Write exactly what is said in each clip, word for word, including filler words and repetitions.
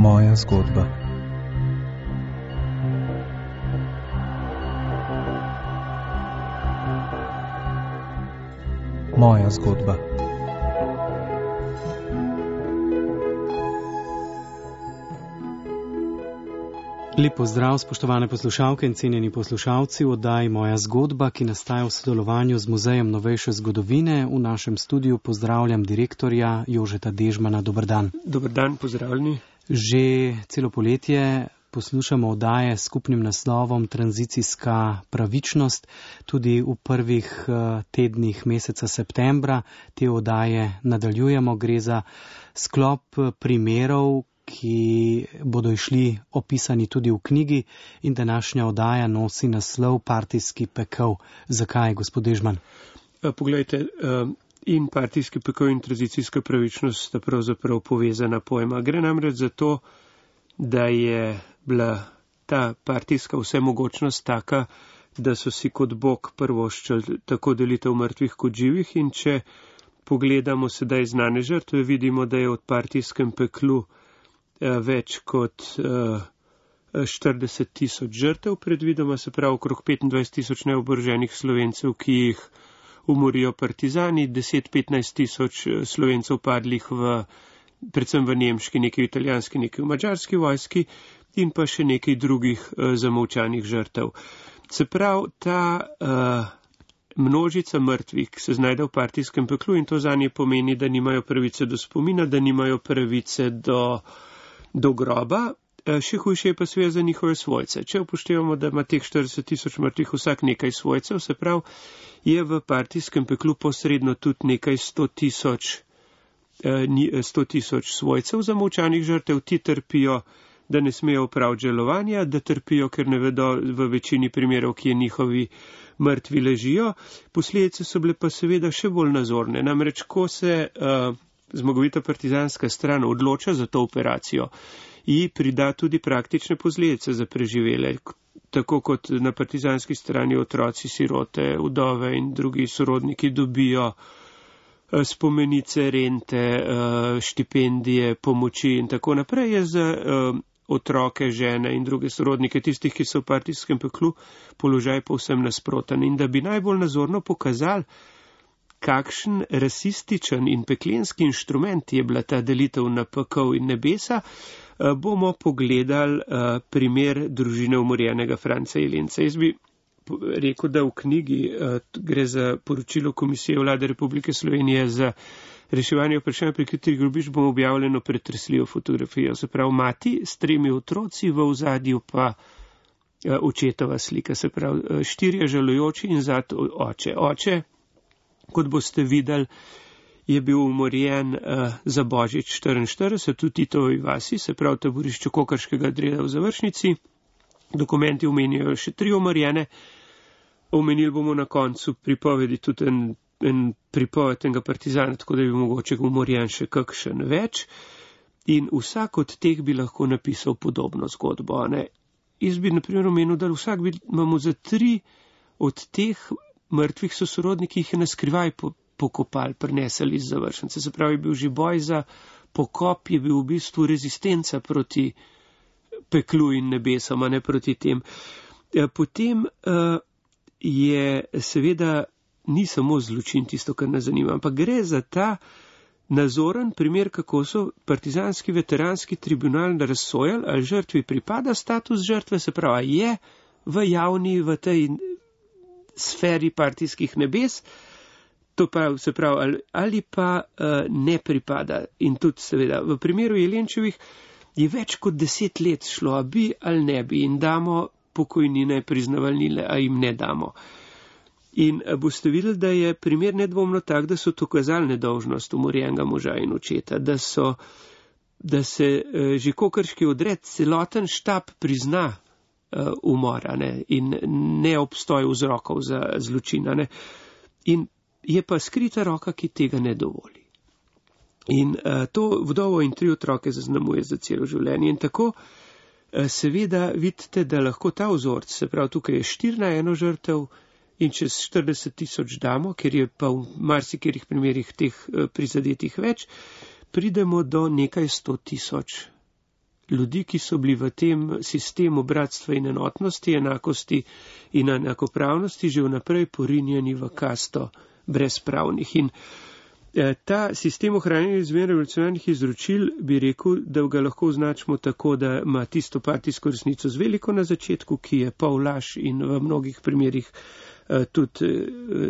Moja zgodba. Moja zgodba. Lep pozdrav, spoštovane poslušalke in cenjeni poslušalci v oddaji Moja zgodba, ki nastaja v sodelovanju z Muzejem novejše zgodovine. V našem studiu pozdravljam direktorja Jožeta Dežmana. Dober dan. Dober dan, pozdravljeni. Že celo poletje poslušamo oddaje s skupnim naslovom Tranzicijska pravičnost. Tudi v prvih tednih meseca septembra te oddaje nadaljujemo. Gre za sklop primerov, ki bodo išli opisani tudi v knjigi, in današnja oddaja nosi naslov Partijski pekel. Zakaj, gospod Dežman? Poglejte, in partijski pekel in tranzicijska pravičnost sta pravzaprav povezana pojma. Gre namreč za to, da je bila ta partijska vsemogočnost taka, da so si kot Bog prvoščali tako delitev mrtvih kot živih, in če pogledamo sedaj znane žrtve, vidimo, da je od partijskem peklu več kot štirideset tisoč žrtev predvidoma, se pravi okrog petindvajset tisoč neoboroženih Slovencev, ki jih umorijo partizani, deset do petnajst tisoč Slovencev padlih v, predvsem v nemški, nekaj v italijanski, nekaj v madžarski vojski, in pa še nekaj drugih zamolčanih žrtev. Se pravi, ta uh, množica mrtvih, ki se znajde v partijskem peklu, in to zanje pomeni, da nimajo pravice do spomina, da nimajo pravice do do groba, še hujše je pa seveda za njihove svojce. Če upoštevamo, da ima teh štirideset tisoč mrtvih vsak nekaj svojcev, se pravi, je v partijskem peklu posredno tudi nekaj sto tisoč, sto tisoč svojcev zamolčanih žrtev. Ti trpijo, da ne smejo opraviti žalovanja, da trpijo, ker ne vedo v večini primerov, kje njihovi mrtvi ležijo. Posledice so bile pa seveda še bolj nazorne. Namreč, ko se uh, zmagovita partizanska stran odloča za to operacijo, ji prida tudi praktične posledice za preživele, tako kot na partizanski strani otroci, sirote, vdove in drugi sorodniki dobijo spomenice, rente, štipendije, pomoči in tako naprej. Je za otroke, žene in druge sorodnike tistih, ki so v partijskem peklu, položaj povsem nasproten. In da bi najbolj nazorno pokazali, kakšen rasističen in peklenski inštrument je bila ta delitev na pekel in nebesa, bomo pogledali primer družine umorjenega Franca Jelenca. Jaz bi rekel, da v knjigi gre za poročilo Komisije Vlade Republike Slovenije za reševanje vprašanja prikritih grobišč, bomo objavljeno pretresljivo fotografijo. Se pravi, mati s tremi otroci, v ozadju pa očetova slika. Se pravi, štirje žalujoči in zad oče. Oče, kot boste videli, je bil umorjen uh, za Božič štiriinštirideset v Titovi vasi, se pravi taborišču Kokrškega dreda v Završnici. Dokumenti omenijo še tri umorjene. Omenili bomo na koncu pripovedi tudi en, en pripoved enega partizana, tako da bi mogoče umorjen še kakšen več. In vsak od teh bi lahko napisal podobno zgodbo. Ne? Jaz bi na primer omenil, da vsak bi, imamo za tri od teh mrtvih sosorodnikih, jih je naskrivaj pokopali, prinesali iz Završnice. Se pravi, je bil že boj za pokop, je bil v bistvu rezistenca proti peklu in nebesom, a ne proti tem. Potem uh, je seveda ni samo zločin tisto, kar nas zanima, ampak gre za ta nazoren primer, kako so partizanski veteranski tribunal razsojali, ali žrtvi pripada status žrtve, se pravi, je v javni, v tej sferi partijskih nebes, to pa se pravi, ali, ali pa uh, ne pripada. In tudi seveda v primeru Jelenčevih je več kot deset let šlo, a bi ali ne bi, in damo pokojnine, priznavalnile, a jim ne damo. In boste videli, da je primer nedvomno tak, da so to kazali nedolžnost umorjenega moža in očeta, da so, da se uh, že kokrški odred, celoten štab prizna uh, umora, ne, in ne obstoj vzrokov za zločina, ne. In je pa skrita roka, ki tega ne dovoli. In uh, to vdovo in tri otroke zaznamuje za celo življenje. In tako uh, seveda vidite, da lahko ta vzorc, se pravi, tukaj je štiri na eno žrtev, in čez štirideset tisoč damo, ker je pa v marsikerih primerih teh uh, prizadetih več, pridemo do nekaj sto tisoč ljudi, ki so bili v tem sistemu bratstva in enotnosti, enakosti in enakopravnosti že vnaprej porinjeni v kasto brezpravnih. In ta sistem ohranjanja izmen revolucionarnih izročil bi rekel, da ga lahko označimo tako, da ima tisto partijsko resnico z veliko na začetku, ki je pol laž in v mnogih primerjih tudi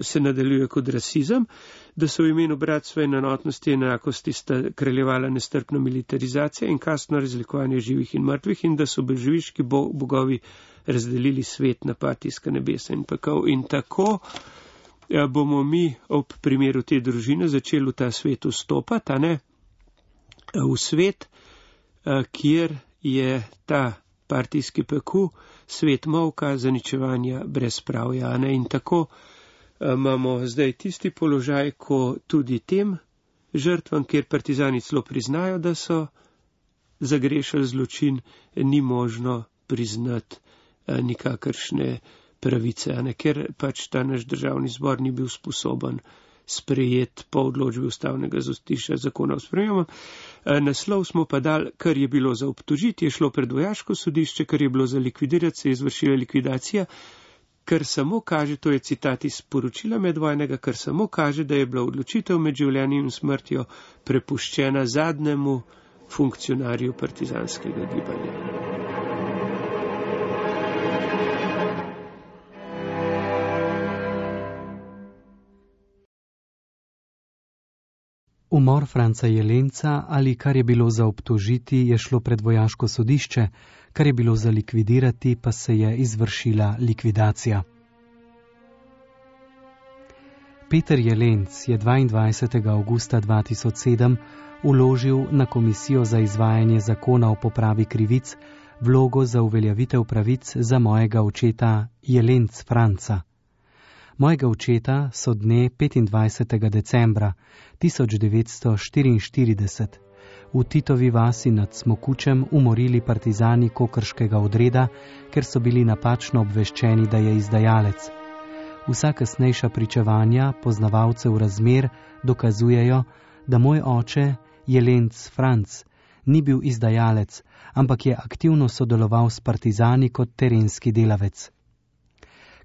se nadaljuje kot rasizem, da so v imenu bratstva in enotnosti in enakosti sta kraljevala nestrpna militarizacija in kastno razlikovanje živih in mrtvih in da so bolševiški bogovi razdelili svet na partijska nebesa in pekel. In tako bomo mi ob primeru te družine začeli v ta svet vstopati, a ne, v svet, kjer je ta partijski peku, svet molka, zaničevanja, brezpravja, a ne, in tako imamo zdaj tisti položaj, ko tudi tem žrtvam, kjer partizani celo priznajo, da so zagrešili zločin, ni možno priznati nikakršne pravice, a ne, ker pač ta naš državni zbor ni bil sposoben sprejeti po odločbi ustavnega sodišča zakona o spremembah. Naslov smo pa dali, kar je bilo za obtožiti, je šlo pred vojaško sodišče, kar je bilo za likvidirati, se je izvršila likvidacija, kar samo kaže, to je citat iz poročila medvojnega, kar samo kaže, da je bila odločitev med življenjem in smrtjo prepuščena zadnjemu funkcionarju partizanskega gibanja. Umor Franca Jelenca ali kar je bilo za obtožiti, je šlo pred vojaško sodišče, kar je bilo za likvidirati, pa se je izvršila likvidacija. Peter Jelenc je dvaindvajsetega avgusta dva tisoč sedem vložil na Komisijo za izvajanje zakona o popravi krivic vlogo za uveljavitev pravic za mojega očeta Jelenc Franca. Mojega očeta so dne petindvajsetega decembra tisoč devetsto štiriinštirideset v Titovi vasi nad Smokučem umorili partizani kokrškega odreda, ker so bili napačno obveščeni, da je izdajalec. Vsa kasnejša pričevanja poznavalcev razmer dokazujejo, da moj oče, Jelenc Franc, ni bil izdajalec, ampak je aktivno sodeloval s partizani kot terenski delavec.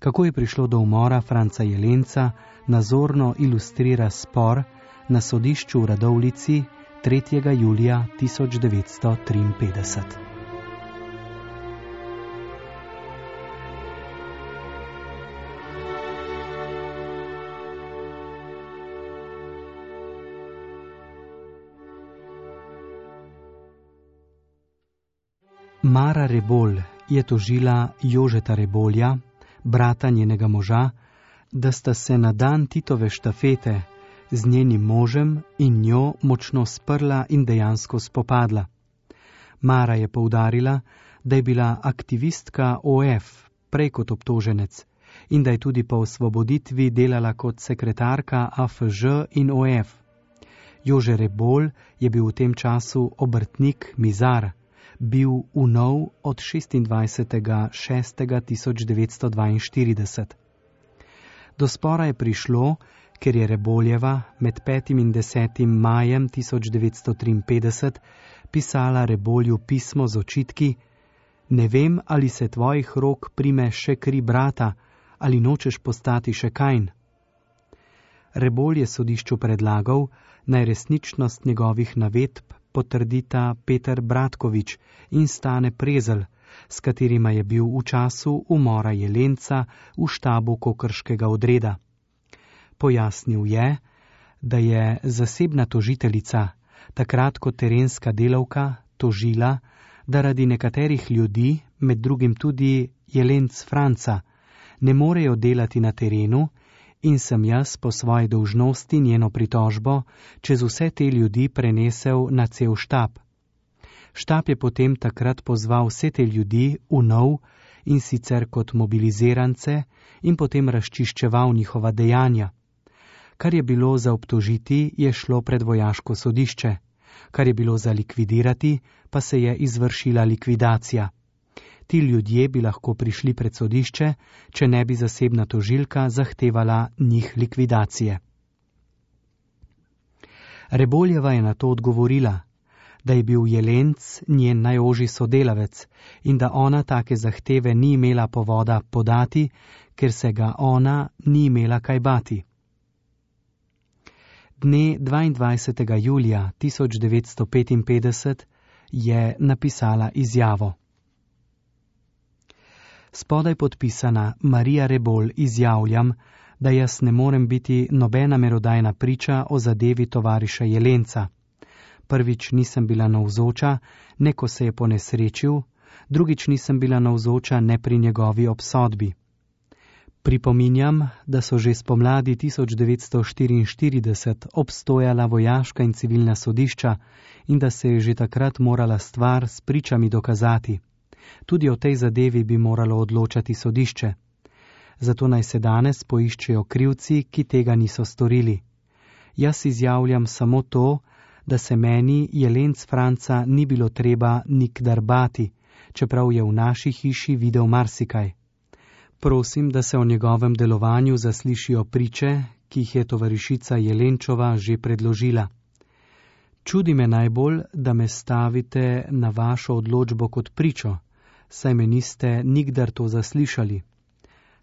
Kako je prišlo do umora Franca Jelenca, nazorno ilustrira spor na sodišču v Radovljici tretjega julija tisoč devetsto triinpetdeset. Mara Rebolj je tožila Jožeta Rebolja, brata njenega moža, da sta se na dan Titove štafete z njenim možem in njo močno sprla in dejansko spopadla. Mara je poudarila, da je bila aktivistka O F prej kot obtoženec in da je tudi po osvoboditvi delala kot sekretarka A F Ž in O F. Jože Rebolj je bil v tem času obrtnik mizar, bil vnov od šestindvajsetega šestega tisoč devetsto dvainštirideset. Do spora je prišlo, ker je Reboljeva med petim in desetim majem tisoč devetsto triinpetdeset pisala Rebolju pismo z očitki: Ne vem, ali se tvojih rok prime še kri brata, ali nočeš postati še Kajn. Rebolj je sodišču predlagal, naj resničnost njegovih navedb potrdita Peter Bratkovič in Stane Prezelj, s katerima je bil v času umora Jelenca v štabu kokrškega odreda. Pojasnil je, da je zasebna tožiteljica, takrat kot terenska delavka, tožila, da radi nekaterih ljudi, med drugim tudi Jelenc Franca, ne morejo delati na terenu in sem jaz po svoji dolžnosti njeno pritožbo čez vse te ljudi prenesel na cel štab. Štab je potem takrat pozval vse te ljudi v nov in sicer kot mobilizirance in potem razčiščeval njihova dejanja. Kar je bilo za obtožiti, je šlo pred vojaško sodišče. Kar je bilo za likvidirati, pa se je izvršila likvidacija. Ti ljudje bi lahko prišli pred sodišče, če ne bi zasebna tožilka zahtevala njih likvidacije. Reboljeva je na to odgovorila: da je bil Jelenc njen najožji sodelavec in da ona take zahteve ni imela povoda podati, ker se ga ona ni imela kaj bati. Dne dvaindvajsetega julija tisoč devetsto petinpetdeset je napisala izjavo. Spodaj podpisana Marija Rebolj izjavljam, da jaz ne morem biti nobena merodajna priča o zadevi tovariša Jelenca. Prvič nisem bila navzoča, ne ko se je ponesrečil, drugič nisem bila navzoča ne pri njegovi obsodbi. Pripominjam, da so že spomladi tisoč devetsto štiriinštirideset obstojala vojaška in civilna sodišča in da se je že takrat morala stvar s pričami dokazati. Tudi o tej zadevi bi moralo odločati sodišče. Zato naj se danes poiščejo krivci, ki tega niso storili. Jaz izjavljam samo to, da se meni Jelenc Franca ni bilo treba nikdar bati, čeprav je v naši hiši videl marsikaj. Prosim, da se o njegovem delovanju zaslišijo priče, ki jih je tovarišica Jelenčova že predložila. Čudi me najbolj, da me stavite na vašo odločbo kot pričo, saj me niste nikdar to zaslišali.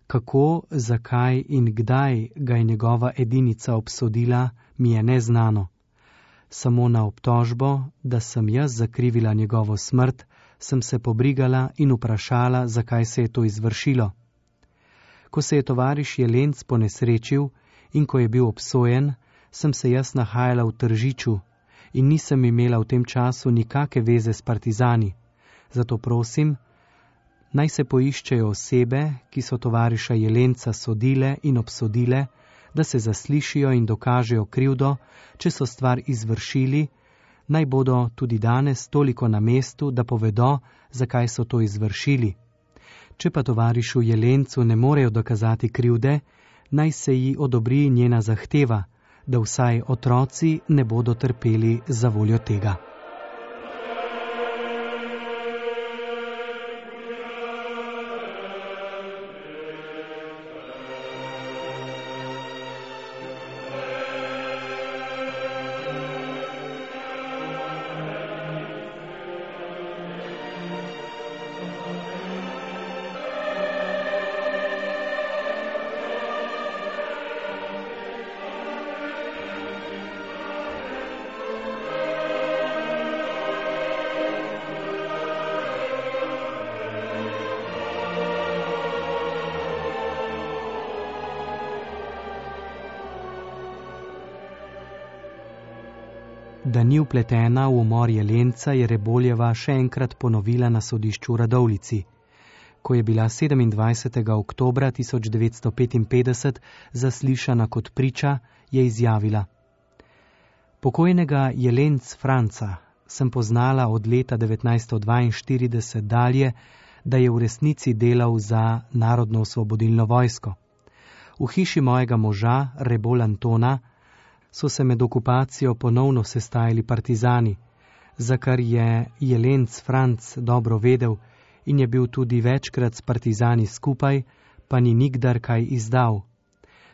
Kako, zakaj in kdaj ga je njegova edinica obsodila, mi je neznano. Samo na obtožbo, da sem jaz zakrivila njegovo smrt, sem se pobrigala in vprašala, zakaj se je to izvršilo. Ko se je tovariš Jelenc ponesrečil in ko je bil obsojen, sem se jaz nahajala v Tržiču in nisem imela v tem času nikake veze s partizani. Zato prosim, naj se poiščejo osebe, ki so tovariša Jelenca sodile in obsodile, da se zaslišijo in dokažejo krivdo, če so stvar izvršili, naj bodo tudi danes toliko na mestu, da povedo, zakaj so to izvršili. Če pa tovarišu Jelencu ne morejo dokazati krivde, naj se ji odobri njena zahteva, da vsaj otroci ne bodo trpeli za voljo tega. Da ni vpletena v umor Jelenca, je Reboljeva še enkrat ponovila na sodišču v Radovljici. Ko je bila sedemindvajsetega oktobra tisoč devetsto petinpetdeset zaslišana kot priča, je izjavila: Pokojnega Jelenc Franca sem poznala od leta devetnajststo dvainštirideset dalje, da je v resnici delal za Narodno-osvobodilno vojsko. V hiši mojega moža, Rebolj Antona, so se med okupacijo ponovno sestajali partizani, za kar je Jelenc Franc dobro vedel in je bil tudi večkrat s partizani skupaj, pa ni nikdar kaj izdal.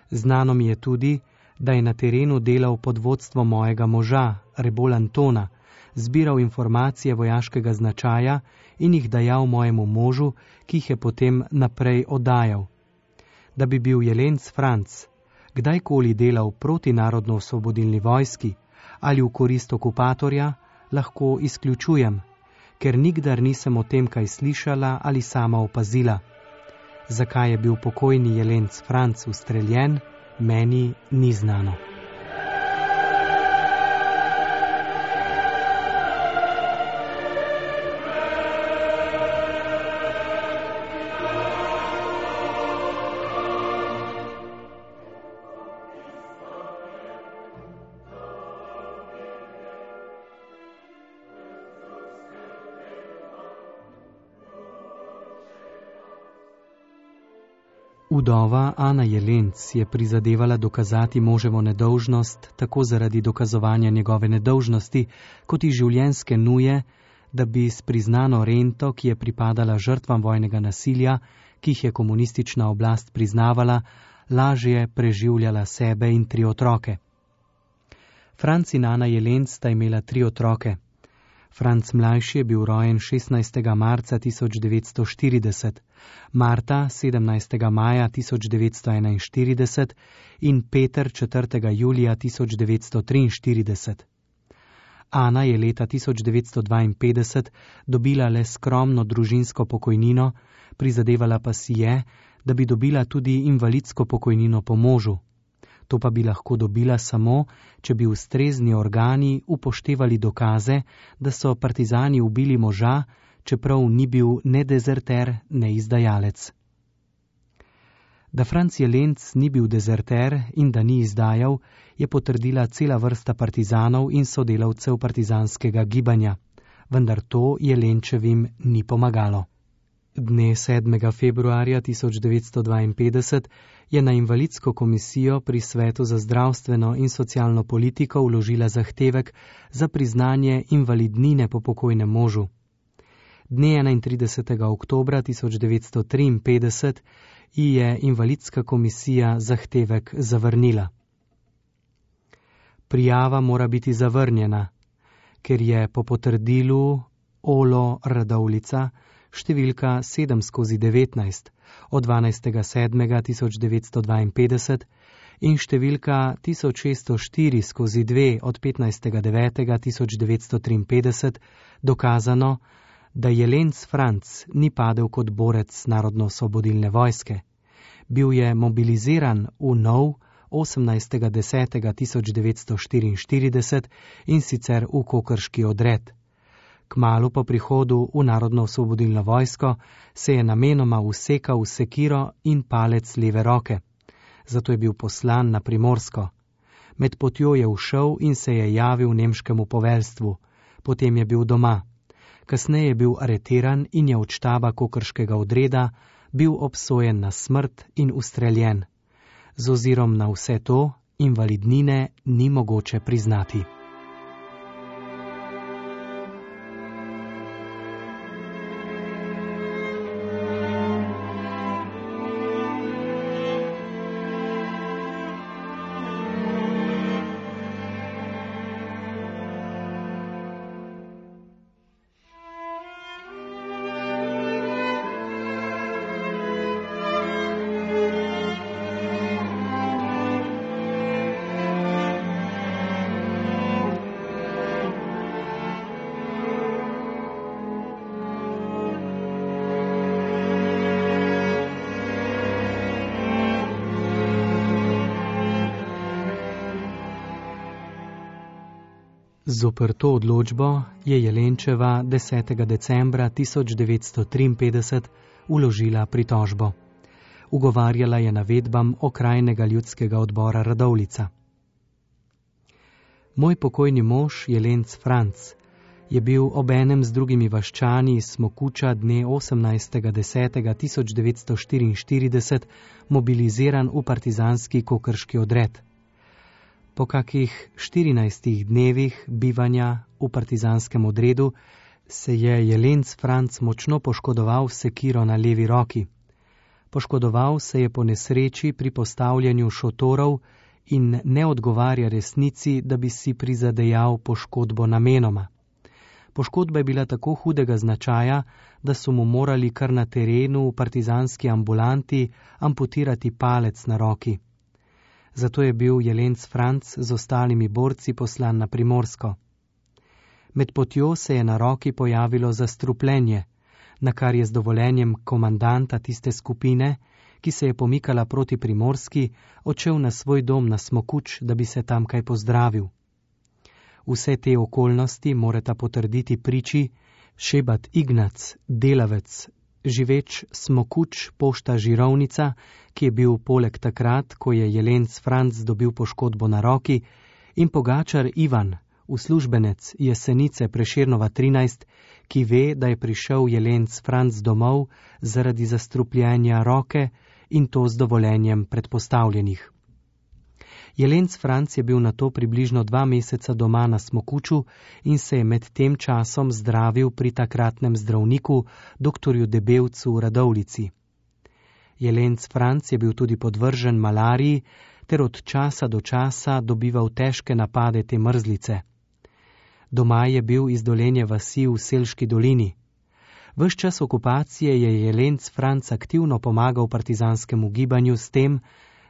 Znano mi je tudi, da je na terenu delal pod vodstvom mojega moža, Rebolj Antona, zbiral informacije vojaškega značaja in jih dajal mojemu možu, ki jih je potem naprej oddajal. Da bi bil Jelenc Franc kdajkoli delal proti Narodno-osvobodilni vojski ali v korist okupatorja, lahko izključujem, ker nikdar nisem o tem kaj slišala ali sama opazila. Zakaj je bil pokojni Jelenc Franc ustreljen, meni ni znano. Vdova Ana Jelenc je prizadevala dokazati moževo nedolžnost tako zaradi dokazovanja njegove nedolžnosti, kot i življenjske nuje, da bi s priznano rento, ki je pripadala žrtvam vojnega nasilja, ki jih je komunistična oblast priznavala, lažje preživljala sebe in tri otroke. Franc in Ana Jelenc sta imela tri otroke. Franc mlajši je bil rojen šestnajstega marca tisoč devetsto štirideset, Marta sedemnajstega maja tisoč devetsto enainštirideset in Peter četrtega julija tisoč devetsto triinštirideset. Ana je leta tisoč devetsto dvainpetdeset dobila le skromno družinsko pokojnino, prizadevala pa si je, da bi dobila tudi invalidsko pokojnino po možu. To pa bi lahko dobila samo, če bi ustrezni organi upoštevali dokaze, da so partizani ubili moža, čeprav ni bil ne dezerter, ne izdajalec. Da Franc Jelenc ni bil dezerter in da ni izdajal, je potrdila cela vrsta partizanov in sodelavcev partizanskega gibanja, vendar to Jelenčevim ni pomagalo. Dne sedmega februarja tisoč devetsto dvainpetdeset je na invalidsko komisijo pri Svetu za zdravstveno in socialno politiko vložila zahtevek za priznanje invalidnine po pokojnem možu. Dne enaintridesetega oktobra tisoč devetsto triinpetdeset ji je invalidska komisija zahtevek zavrnila. Prijava mora biti zavrnjena, ker je po potrdilu Olo Radovljica številka sedem skozi devetnajst od dvanajstega sedmega tisoč devetsto dvainpetdeset in številka tisoč šeststo štiri skozi dve od petnajstega devetega tisoč devetsto triinpetdeset dokazano, da Jelenc Franc ni padel kot borec narodno-osvobodilne vojske. Bil je mobiliziran v nov osemnajstega desetega tisoč devetsto štiriinštirideset in sicer v kokrški odred. Kmalu po prihodu v narodno-osvobodilno vojsko se je namenoma usekal v sekiro in palec leve roke. Zato je bil poslan na Primorsko. Med potjo je ušel in se je javil nemškemu poveljstvu. Potem je bil doma. Kasneje je bil aretiran in je od štaba kokrškega odreda bil obsojen na smrt in ustreljen. Z ozirom na vse to, invalidnine ni mogoče priznati. Zoper to odločbo je Jelenčeva desetega decembra tisoč devetsto triinpetdeset vložila pritožbo. Ugovarjala je navedbam okrajnega ljudskega odbora Radovljica. Moj pokojni mož Jelenc Franc je bil obenem z drugimi vaščani iz Smokuča dne osemnajstega desetega tisoč devetsto štiriinštirideset mobiliziran v partizanski kokrški odred. Po kakih štirinajstih dnevih bivanja v partizanskem odredu se je Jelenc Franc močno poškodoval sekiro na levi roki. Poškodoval se je po nesreči pri postavljanju šotorov in ne odgovarja resnici, da bi si prizadejal poškodbo namenoma. Poškodba je bila tako hudega značaja, da so mu morali kar na terenu v partizanski ambulanti amputirati palec na roki. Zato je bil Jelenc Franc z ostalimi borci poslan na Primorsko. Med potjo se je na roki pojavilo zastrupljenje, na kar je z dovoljenjem komandanta tiste skupine, ki se je pomikala proti Primorski, odšel na svoj dom na Smokuč, da bi se tam kaj pozdravil. Vse te okoljnosti morata potrditi priči Šebat Ignac, delavec, živeč Smokuč, pošta Žirovnica, ki je bil poleg takrat, ko je Jelenc Franc dobil poškodbo na roki, in Pogačar Ivan, uslužbenec Jesenice Prešernova trinajst, ki ve, da je prišel Jelenc Franc domov zaradi zastrupljenja roke in to z dovoljenjem predpostavljenih. Jelenc Franc je bil nato približno dva meseca doma na Smokuču in se je med tem časom zdravil pri takratnem zdravniku, doktorju Debevcu v Radovljici. Jelenc Franc je bil tudi podvržen malariji ter od časa do časa dobival težke napade te mrzlice. Doma je bil iz Dolenje vasi v Selški dolini. Ves čas okupacije je Jelenc Franc aktivno pomagal partizanskemu gibanju s tem,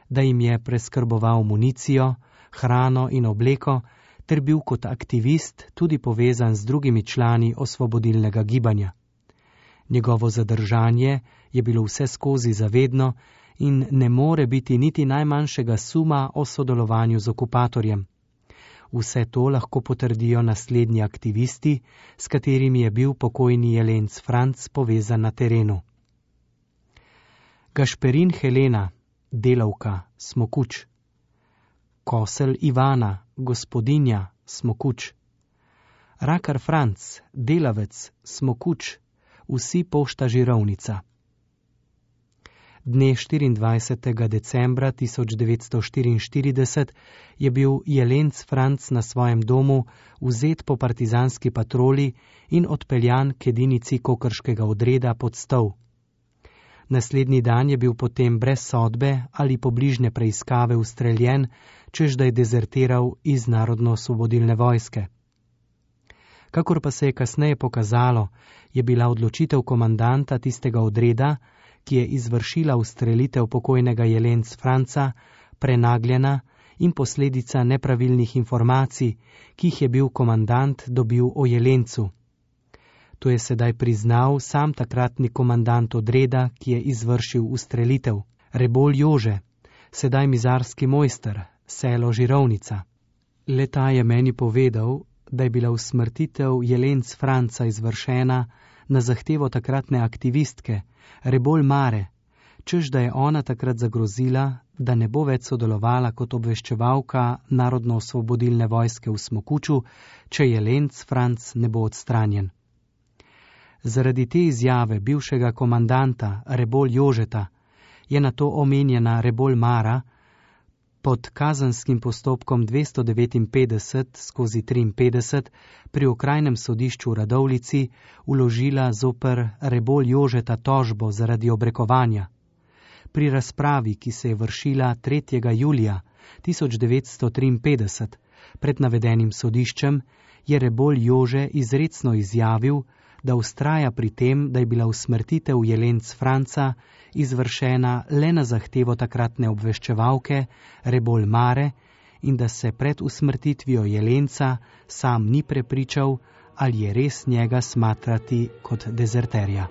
da jim je preskrboval municijo, hrano in obleko, ter bil kot aktivist tudi povezan z drugimi člani osvobodilnega gibanja. Njegovo zadržanje je bilo vse skozi zavedno in ne more biti niti najmanjšega suma o sodelovanju z okupatorjem. Vse to lahko potrdijo naslednji aktivisti, s katerimi je bil pokojni Jelenc Franc povezan na terenu. Gašperin Helena, delavka, Smokuč. Kosel Ivana, gospodinja, Smokuč. Rakar Franc, delavec, Smokuč, vsi Pošta Žirovnica. Dne štiriindvajsetega decembra tisoč devetsto štiriinštirideset je bil Jelenc Franc na svojem domu vzet po partizanski patroli in odpeljan k edinici kokrškega odreda pod Stol. Naslednji dan je bil potem brez sodbe ali pobližne preiskave ustreljen, čež da je dezertiral iz Narodno-osvobodilne vojske. Kakor pa se je kasneje pokazalo, je bila odločitev komandanta tistega odreda, ki je izvršila ustrelitev pokojnega Jelenc Franca, prenagljena in posledica nepravilnih informacij, ki jih je bil komandant dobil o Jelencu. To je sedaj priznal sam takratni komandant odreda, ki je izvršil ustrelitev, Rebolj Jože, sedaj mizarski mojster, selo Žirovnica. Le-ta je meni povedal, da je bila usmrtitev Jelenc Franca izvršena na zahtevo takratne aktivistke, Rebolj Mare, čež da je ona takrat zagrozila, da ne bo več sodelovala kot obveščevalka Narodno-osvobodilne vojske v Smokuču, če Jelenc Franc ne bo odstranjen. Zaradi te izjave bivšega komandanta Rebolj Jožeta je na to omenjena Rebolj Mara pod kazenskim postopkom dvesto devetinpetdeset skozi triinpetdeset pri okrajnem sodišču v Radovljici vložila zoper Rebolj Jožeta tožbo zaradi obrekovanja. Pri razpravi, ki se je vršila tretjega julija tisoč devetsto triinpetdeset pred navedenim sodiščem, je Rebolj Jože izrecno izjavil, da vztraja pri tem, da je bila usmrtitev Jelenc Franca izvršena le na zahtevo takratne obveščevalke Rebolj Mare in da se pred usmrtitvijo Jelenca sam ni prepričal, ali je res njega smatrati kot dezerterja.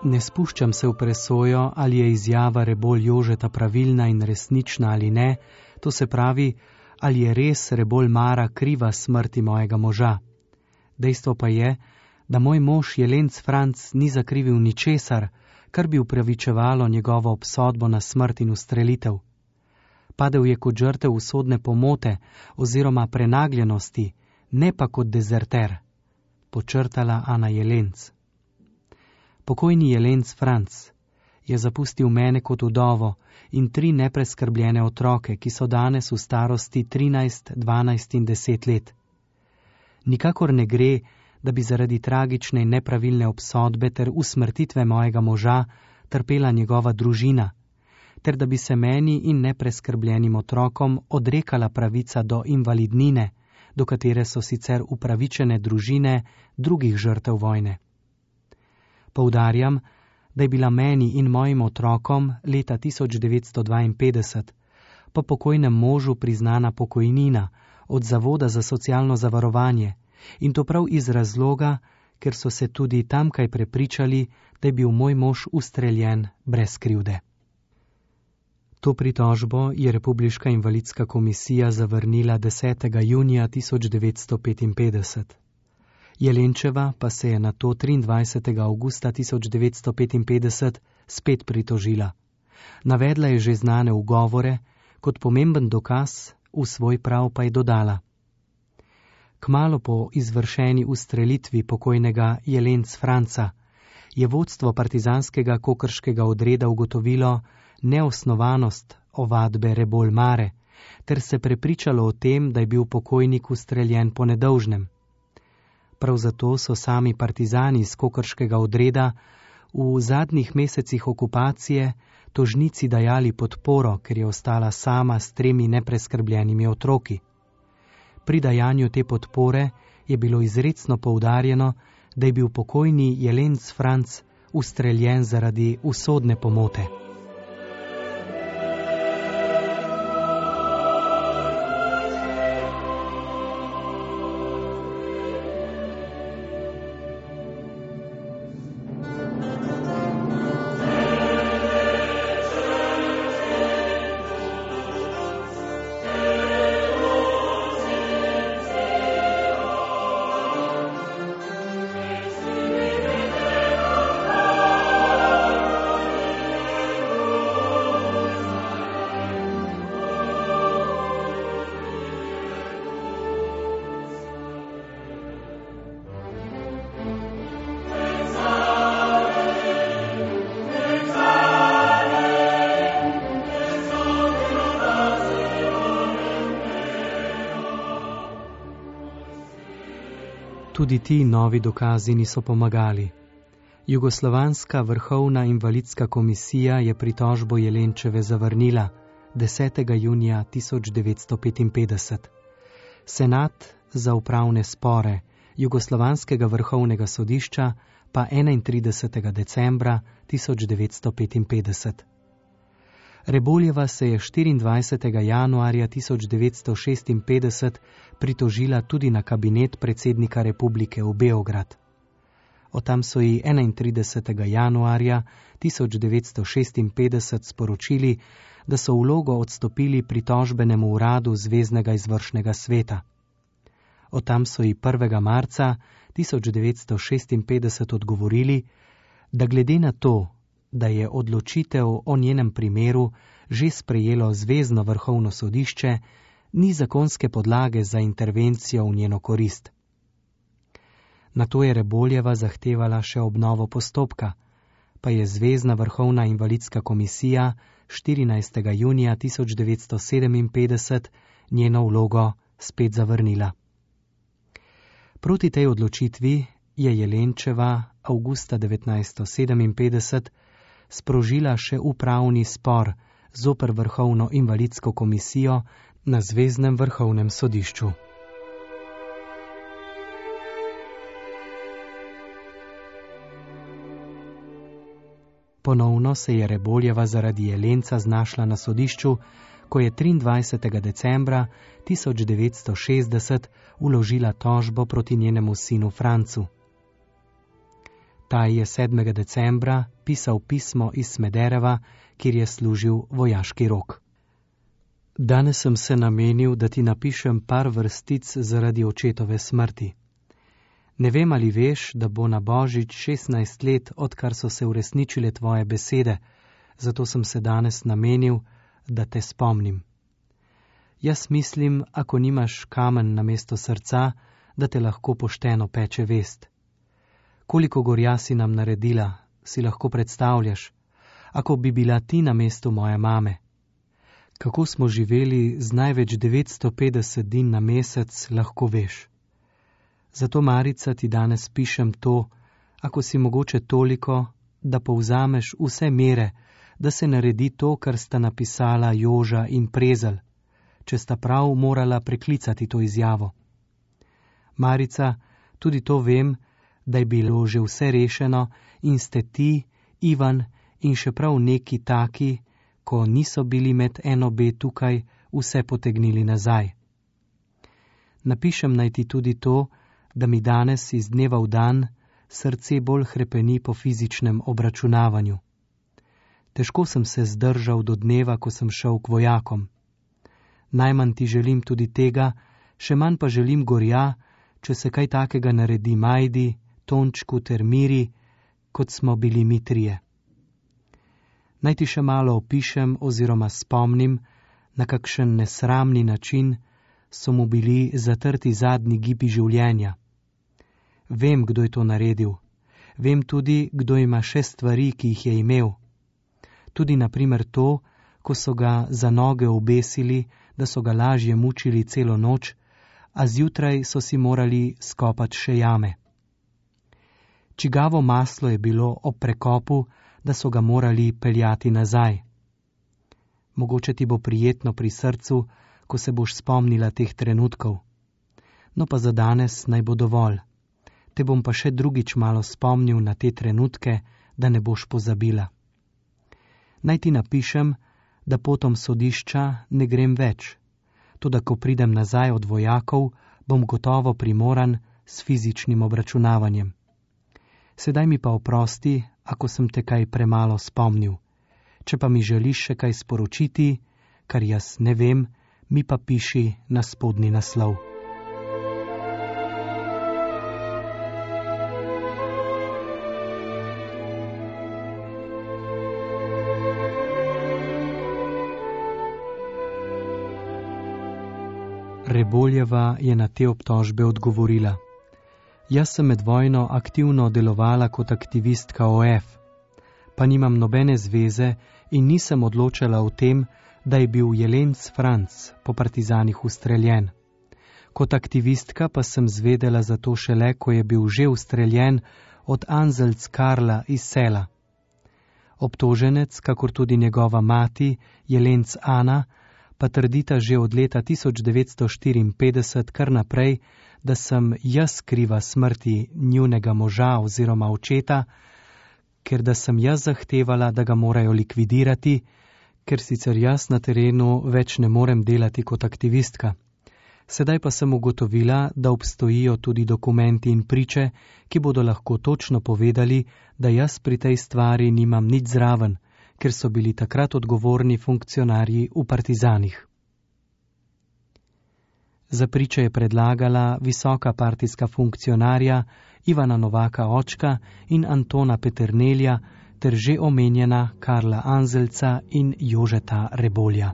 Ne spuščam se v presojo, ali je izjava Rebolj Jožeta pravilna in resnična ali ne, to se pravi, ali je res Rebolj Mara kriva smrti mojega moža. Dejstvo pa je, da moj mož Jelenc Franc ni zakrivil ničesar, kar bi upravičevalo njegovo obsodbo na smrt in ustrelitev. Padel je kot žrtev usodne pomote oziroma prenagljenosti, ne pa kot dezerter, počrtala Ana Jelenc. Pokojni Jelenc Franc je zapustil mene kot vdovo in tri nepreskrbljene otroke, ki so danes v starosti trinajst, dvanajst in deset let. Nikakor ne gre, da bi zaradi tragične in nepravilne obsodbe ter usmrtitve mojega moža trpela njegova družina, ter da bi se meni in nepreskrbljenim otrokom odrekala pravica do invalidnine, do katere so sicer upravičene družine drugih žrtev vojne. Poudarjam, da je bila meni in mojim otrokom leta tisoč devetsto dvainpetdeset po pokojnem možu priznana pokojnina od Zavoda za socialno zavarovanje in to prav iz razloga, ker so se tudi tamkaj prepričali, da je bil moj mož ustreljen brez krivde. To pritožbo je Republiška invalidska komisija zavrnila desetega junija tisoč devetsto petinpetdeset. Jelenčeva pa se je na to triindvajsetega avgusta tisoč devetsto petinpetdeset spet pritožila. Navedla je že znane ugovore, kot pomemben dokaz v svoj prav pa je dodala: Kmalu po izvršeni ustrelitvi pokojnega Jelenc Franca je vodstvo partizanskega kokrškega odreda ugotovilo neosnovanost ovadbe Rebolj Mare ter se prepričalo o tem, da je bil pokojnik ustreljen po nedolžnem. Prav zato so sami partizani iz kokrškega odreda v zadnjih mesecih okupacije tožnici dajali podporo, ker je ostala sama s tremi nepreskrbljenimi otroki. Pri dajanju te podpore je bilo izrecno poudarjeno, da je bil pokojni Jelenc Franc ustreljen zaradi usodne pomote. Tudi ti novi dokazi niso pomagali. Jugoslovanska vrhovna invalidska komisija je pritožbo Jelenčeve zavrnila desetega junija tisoč devetsto petinpetdeset. Senat za upravne spore Jugoslovanskega vrhovnega sodišča pa enaintridesetega decembra tisoč devetsto petinpetdeset. Reboljeva se je štiriindvajsetega januarja tisoč devetsto šestinpetdeset pritožila tudi na kabinet predsednika republike v Beograd. Od tam so ji enaintridesetega januarja tisoč devetsto šestinpetdeset sporočili, da so vlogo odstopili pritožbenemu uradu Zveznega izvršnega sveta. Od tam so ji prvega marca tisoč devetsto šestinpetdeset odgovorili, da glede na to, da je odločitev o njenem primeru že sprejelo Zvezno vrhovno sodišče, ni zakonske podlage za intervencijo v njeno korist. Nato je Reboljeva zahtevala še obnovo postopka, pa je Zvezna vrhovna invalidska komisija štirinajstega junija tisoč devetsto sedeminpetdeset njeno vlogo spet zavrnila. Proti tej odločitvi je Jelenčeva avgusta devetnajststo sedeminpetdeset sprožila še upravni spor zoper vrhovno invalidsko komisijo na Zveznem vrhovnem sodišču. Ponovno se je Reboljeva zaradi Jelenca znašla na sodišču, ko je triindvajsetega decembra tisoč devetsto šestdeset vložila tožbo proti njenemu sinu Francu. Ta je sedmega decembra pisal pismo iz Smedereva, kjer je služil vojaški rok. Danes sem se namenil, da ti napišem par vrstic zaradi očetove smrti. Ne vem, ali veš, da bo na Božič šestnajst let, odkar so se uresničile tvoje besede, zato sem se danes namenil, da te spomnim. Jaz mislim, ako nimaš kamen namesto srca, da te lahko pošteno peče vest. Koliko gorja si nam naredila, si lahko predstavljaš, ako bi bila ti na mestu moje mame. Kako smo živeli z največ devetsto petdeset din na mesec, lahko veš. Zato, Marica, ti danes pišem to, ako si mogoče toliko, da povzameš vse mere, da se naredi to, kar sta napisala Joža in Prezelj, če sta prav morala preklicati to izjavo. Marica, tudi to vem, da je bilo že vse rešeno in ste ti, Ivan in še prav neki taki, ko niso bili med eno B tukaj, vse potegnili nazaj. Napišem naj ti tudi to, da mi danes iz dneva v dan srce bolj hrepeni po fizičnem obračunavanju. Težko sem se zdržal do dneva, ko sem šel k vojakom. Najmanj ti želim tudi tega, še manj pa želim gorja, če se kaj takega naredi Majdi, Tončku ter Miri, kot smo bili mi trije. Naj ti še malo opišem oziroma spomnim, na kakšen nesramni način so mu bili zatrti zadnji gibi življenja. Vem, kdo je to naredil. Vem tudi, kdo ima še stvari, ki jih je imel. Tudi naprimer to, ko so ga za noge obesili, da so ga lažje mučili celo noč, a zjutraj so si morali skopati še jame. Čigavo maslo je bilo ob prekopu, da so ga morali peljati nazaj. Mogoče ti bo prijetno pri srcu, ko se boš spomnila teh trenutkov. No pa za danes naj bo dovolj. Te bom pa še drugič malo spomnil na te trenutke, da ne boš pozabila. Naj ti napišem, da potom sodišča ne grem več. Toda ko pridem nazaj od vojakov, bom gotovo primoran s fizičnim obračunavanjem. Sedaj mi pa oprosti, ako sem te kaj premalo spomnil. Če pa mi želiš še kaj sporočiti, kar jaz ne vem, mi pa piši na spodnji naslov. Reboljeva je na te obtožbe odgovorila. Jaz sem med vojno aktivno delovala kot aktivistka O F, pa nimam nobene zveze in nisem odločala o tem, da je bil Jelenc Franc po partizanih ustreljen. Kot aktivistka pa sem zvedela za to šele, ko je bil že ustreljen od Anzelc Karla iz Sela. Obtoženec, kakor tudi njegova mati, Jelenc Ana, pa trdita že od leta tisoč devetsto štiriinpetdeset kar naprej, da sem jaz kriva smrti njunega moža oziroma očeta, ker da sem jaz zahtevala, da ga morajo likvidirati, ker sicer jaz na terenu več ne morem delati kot aktivistka. Sedaj pa sem ugotovila, da obstojijo tudi dokumenti in priče, ki bodo lahko točno povedali, da jaz pri tej stvari nimam nič zraven, ker so bili takrat odgovorni funkcionarji v partizanih. Za priče je predlagala visoka partijska funkcionarja Ivana Novaka očka in Antona Peternelja ter že omenjena Karla Anzelca in Jožeta Rebolja.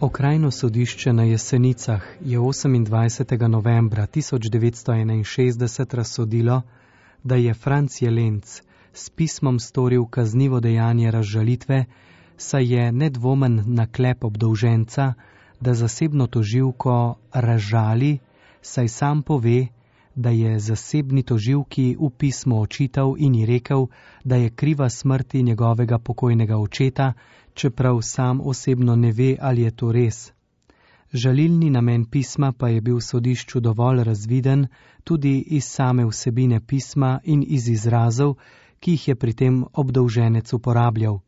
Okrajno sodišče na Jesenicah je osemindvajsetega novembra tisoč devetsto enainšestdeset razsodilo, da je Franc Jelenc s pismom storil kaznivo dejanje razžalitve, saj je nedvomen naklep obdolženca, da zasebno tožilko razžali, saj sam pove, da je zasebni tožilki v pismo očital in ji rekel, da je kriva smrti njegovega pokojnega očeta, čeprav sam osebno ne ve, ali je to res. Žalilni namen pisma pa je bil sodišču dovolj razviden tudi iz same vsebine pisma in iz izrazov, ki jih je pri tem obdolženec uporabljal.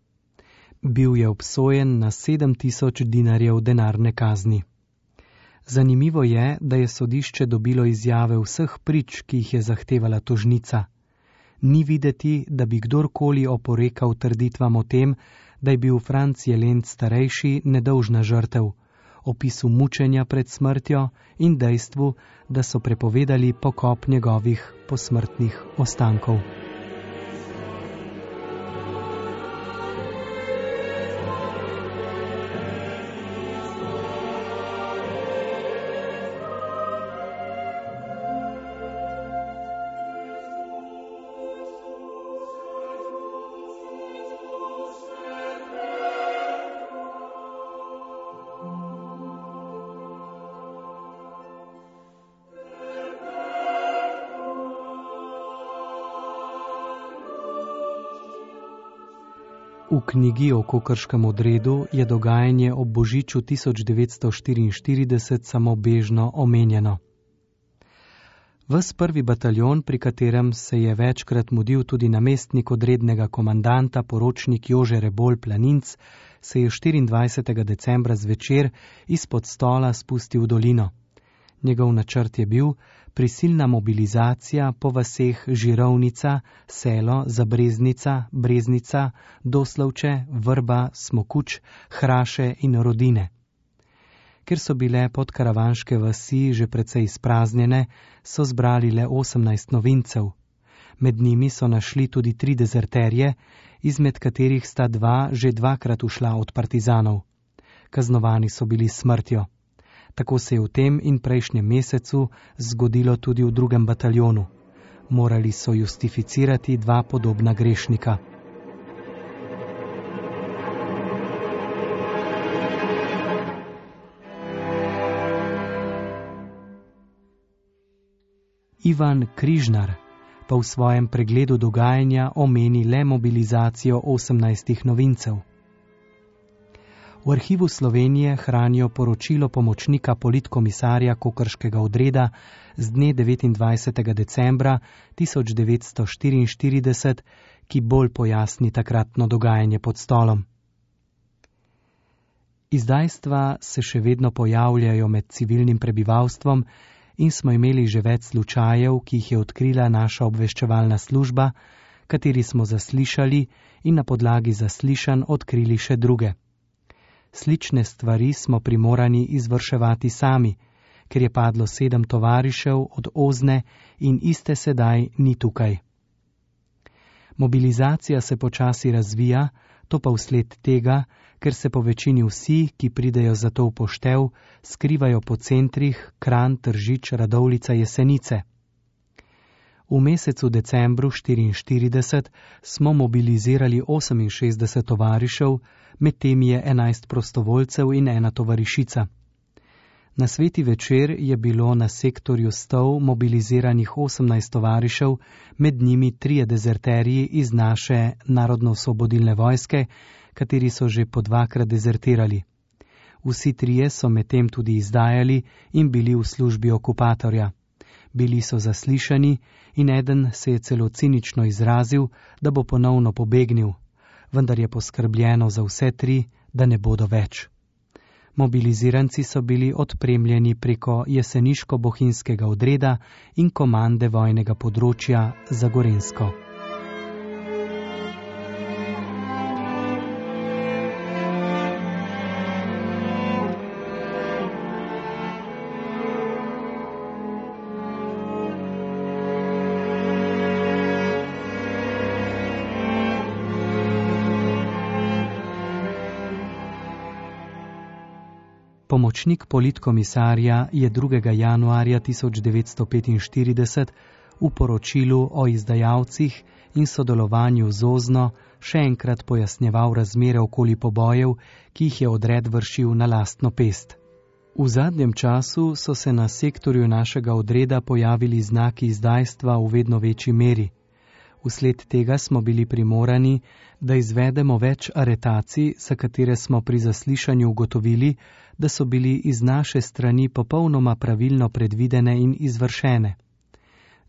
Bil je obsojen na sedem tisoč dinarjev denarne kazni. Zanimivo je, da je sodišče dobilo izjave vseh prič, ki jih je zahtevala tožnica. Ni videti, da bi kdorkoli oporekal trditvam o tem, da je bil Franc Jelenc starejši nedolžna žrtev, opisu mučenja pred smrtjo in dejstvu, da so prepovedali pokop njegovih posmrtnih ostankov. V knjigi o kokrškem odredu je dogajanje ob božiču tisoč devetsto štiriinštirideset samo bežno omenjeno. Ves prvi bataljon, pri katerem se je večkrat mudil tudi namestnik odrednega komandanta, poročnik Jože Rebolj Planinc, se je štiriindvajsetega decembra zvečer izpod stola spustil v dolino. Njegov načrt je bil prisilna mobilizacija po vaseh Žirovnica, Selo, Zabreznica, Breznica, Doslovče, Vrba, Smokuč, Hraše in Rodine. Ker so bile podkaravanške vasi že precej izpraznjene, so zbrali le osemnajst novincev. Med njimi so našli tudi tri dezerterje, izmed katerih sta dva že dvakrat ušla od partizanov. Kaznovani so bili s smrtjo. Tako se je v tem in prejšnjem mesecu zgodilo tudi v drugem bataljonu. Morali so justificirati dva podobna grešnika. Ivan Križnar pa v svojem pregledu dogajanja omeni le mobilizacijo osemnajstih novincev. V arhivu Slovenije hranijo poročilo pomočnika politkomisarja Kokrškega odreda z dne devetindvajsetega decembra tisoč devetsto štiriinštirideset, ki bolj pojasni takratno dogajanje pod stolom. Izdajstva se še vedno pojavljajo med civilnim prebivalstvom in smo imeli že več slučajev, ki jih je odkrila naša obveščevalna služba, kateri smo zaslišali in na podlagi zaslišanj odkrili še druge. Slične stvari smo primorani izvrševati sami, ker je padlo sedem tovarišev od Ozne in iste sedaj ni tukaj. Mobilizacija se počasi razvija, to pa vsled tega, ker se po večini vsi, ki pridejo za to v poštev, skrivajo po centrih Kranj, Tržič, Radovljica, Jesenice. V mesecu decembru štiriinštirideset smo mobilizirali oseminšestdeset tovarišev, med temi je enajst prostovoljcev in ena tovarišica. Na sveti večer je bilo na sektorju Stov mobiliziranih osemnajst tovarišev, med njimi trije dezerterji iz naše narodno-osvobodilne vojske, kateri so že po dvakrat dezertirali. Vsi trije so medtem tudi izdajali in bili v službi okupatorja. Bili so zaslišani in eden se je celo cinično izrazil, da bo ponovno pobegnil, vendar je poskrbljeno za vse tri, da ne bodo več. Mobiliziranci so bili odpremljeni preko jeseniško-bohinjskega odreda in komande vojnega področja za Gorenjsko. Pomočnik politkomisarja je drugega januarja tisoč devetsto petinštirideset v poročilu o izdajalcih in sodelovanju z Ozno še enkrat pojasnjeval razmere okoli pobojev, ki jih je odred vršil na lastno pest. V zadnjem času so se na sektorju našega odreda pojavili znaki izdajstva v vedno večji meri. Vsled tega smo bili primorani, da izvedemo več aretacij, za katere smo pri zaslišanju ugotovili, da so bili iz naše strani popolnoma pravilno predvidene in izvršene.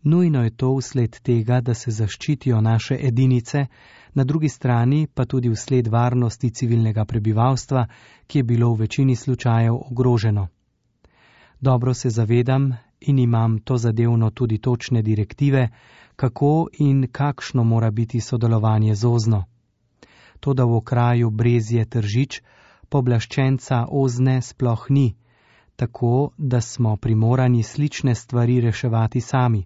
Nujno je to vsled tega, da se zaščitijo naše edinice, na drugi strani pa tudi vsled varnosti civilnega prebivalstva, ki je bilo v večini slučajev ogroženo. Dobro se zavedam in imam to zadevno tudi točne direktive, kako in kakšno mora biti sodelovanje z Ozno. Toda v okraju Brezje Tržič pooblaščenca Ozne sploh ni, tako da smo primorani slične stvari reševati sami.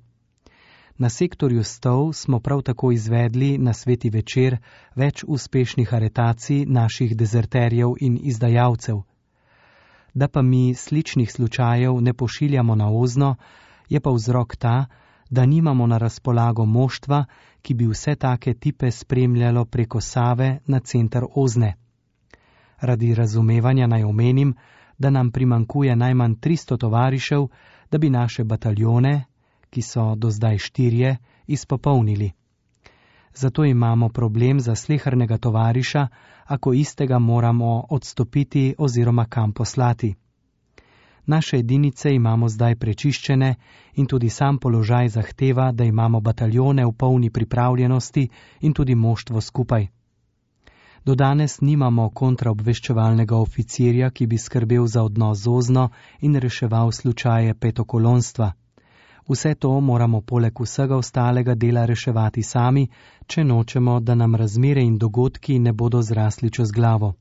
Na sektorju Stov smo prav tako izvedli na sveti večer več uspešnih aretacij naših dezerterjev in izdajalcev. Da pa mi sličnih slučajev ne pošiljamo na Ozno, je pa vzrok ta, da nimamo na razpolago moštva, ki bi vse take tipe spremljalo preko Save na center Ozne. Radi razumevanja naj omenim, da nam primankuje najmanj tristo tovarišev, da bi naše bataljone, ki so do zdaj štirje, izpopolnili. Zato imamo problem za slehernega tovariša, ako istega moramo odstopiti oziroma kam poslati. Naše edinice imamo zdaj prečiščene in tudi sam položaj zahteva, da imamo bataljone v polni pripravljenosti in tudi moštvo skupaj. Do danes nimamo kontraobveščevalnega oficirja, ki bi skrbel za odnos z Ozno in reševal slučaje petokolonstva. Vse to moramo poleg vsega ostalega dela reševati sami, če nočemo, da nam razmere in dogodki ne bodo zrasli čez glavo.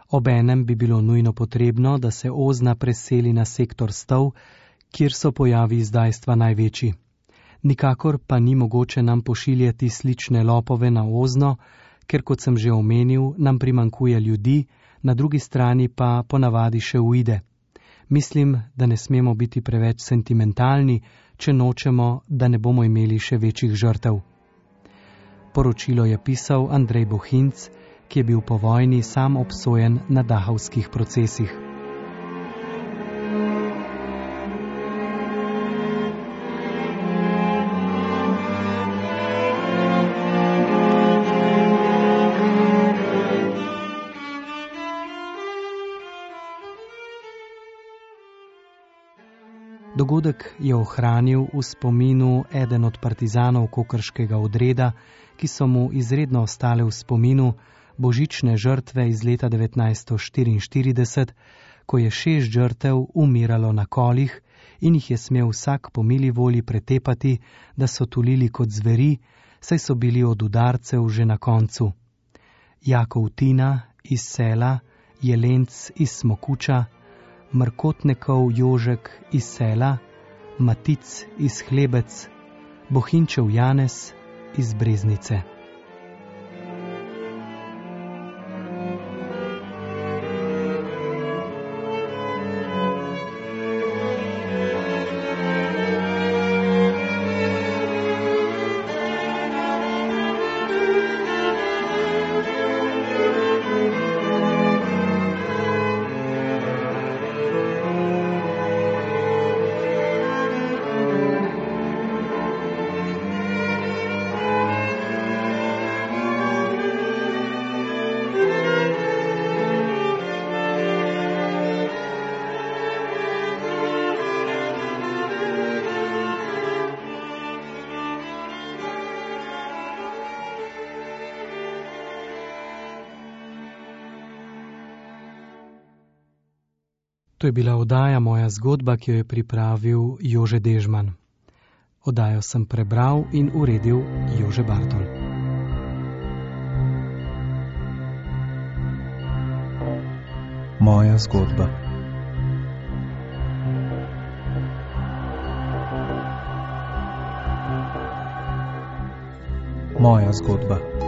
Obenem bi bilo nujno potrebno, da se Ozna preseli na sektor Stov, kjer so pojavi izdajstva največji. Nikakor pa ni mogoče nam pošiljati slične lopove na Ozno, ker, kot sem že omenil, nam primankuje ljudi, na drugi strani pa ponavadi še uide. Mislim, da ne smemo biti preveč sentimentalni, če nočemo, da ne bomo imeli še večjih žrtev. Poročilo je pisal Andrej Bohinc, ki je bil po vojni sam obsojen na dahovskih procesih. Dogodek je ohranil v spominu eden od partizanov kokrškega odreda, ki so mu izredno ostale v spominu, božične žrtve iz leta devetnajststo štiriinštirideset, ko je šest žrtev umiralo na kolih in jih je smel vsak po mili volji pretepati, da so tulili kot zveri, saj so bili od udarcev že na koncu. Jakov Tina iz Sela, Jelenc iz Smokuča, Mrkotnikov Jožek iz Sela, Matic iz Hlebec, Bohinčev Janez iz Breznice. To je bila oddaja Moja zgodba, ki jo je pripravil Jože Dežman. Oddajo sem prebral in uredil Jože Bartol. Moja zgodba. Moja zgodba.